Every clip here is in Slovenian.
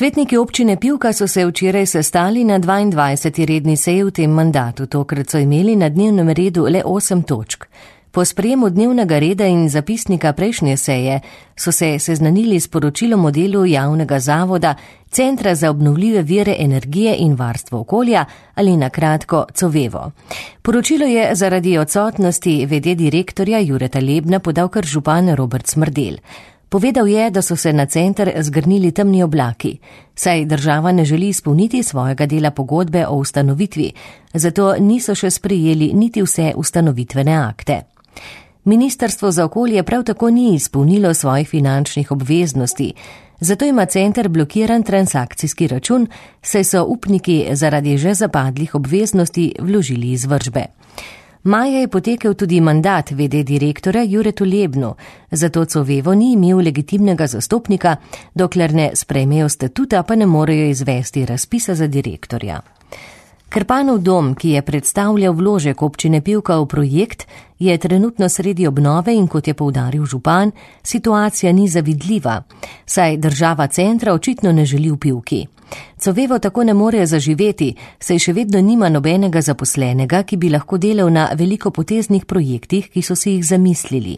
Svetniki občine Pivka so se včeraj sestali na 22. redni seji v tem mandatu. Tokrat so imeli na dnevnem redu le 8 točk. Po sprejemu dnevnega reda in zapisnika prejšnje seje so se seznanili s poročilom o delu javnega zavoda Centra za obnovljive vire energije in varstvo okolja ali na kratko COVEVO. Poročilo je zaradi odsotnosti v.d. direktorja Jureta Lebna podal kar župan Robert Smrdelj. Povedal je, da so se na center zgrnili temni oblaki, saj država ne želi izpolniti svojega dela pogodbe o ustanovitvi, zato niso še sprejeli niti vse ustanovitvene akte. Ministrstvo za okolje prav tako ni izpolnilo svojih finančnih obveznosti, zato ima center blokiran transakcijski račun, saj so upniki zaradi že zapadlih obveznosti vložili izvršbe. Maja je potekel tudi mandat v.d. direktorja Juretu Lebnu, zato COVEVO ni imel legitimnega zastopnika, dokler ne sprejmejo statuta, pa ne morejo izvesti razpisa za direktorja. Krpanov dom, ki je predstavljal vložek občine Pivka v projekt, je trenutno sredi obnove in kot je poudaril župan, situacija ni zavidljiva, saj država centra očitno ne želi v Pivki. COVEVO tako ne more zaživeti, saj še vedno nima nobenega zaposlenega, ki bi lahko delal na velikopoteznih projektih, ki so si jih zamislili.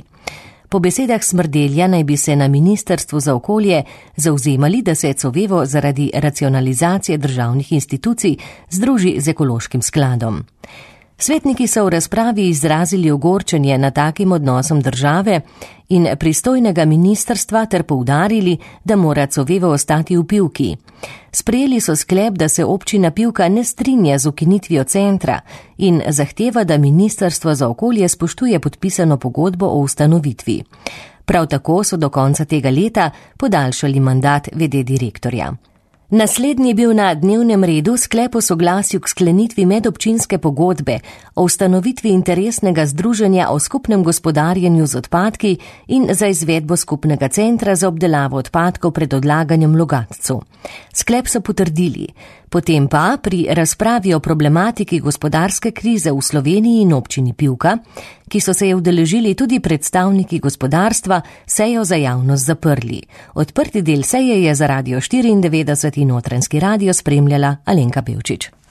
Po besedah Smrdelja naj bi se na Ministrstvu za okolje zavzemali, da se COVEVO zaradi racionalizacije državnih institucij združi z ekološkim skladom. Svetniki so v razpravi izrazili ogorčenje nad takim odnosom države in pristojnega ministrstva ter poudarili, da mora COVEVO ostati v Pivki. Sprejeli so sklep, da se občina Pivka ne strinja z ukinitvijo centra in zahteva, da Ministrstvo za okolje spoštuje podpisano pogodbo o ustanovitvi. Prav tako so do konca tega leta podaljšali mandat v.d. direktorja. Naslednji je bil na dnevnem redu sklep o soglasju k sklenitvi medobčinske pogodbe o ustanovitvi interesnega združenja o skupnem gospodarjenju z odpadki in za izvedbo skupnega centra za obdelavo odpadkov pred odlaganjem v Logatcu. Sklep so potrdili. Potem pa pri razpravi o problematiki gospodarske krize v Sloveniji in občini Pivka, ki so se je udeležili tudi predstavniki gospodarstva, sejo za javnost zaprli. Odprti del seje je za Radio 94 in Notranjski radio spremljala Alenka Pevčič.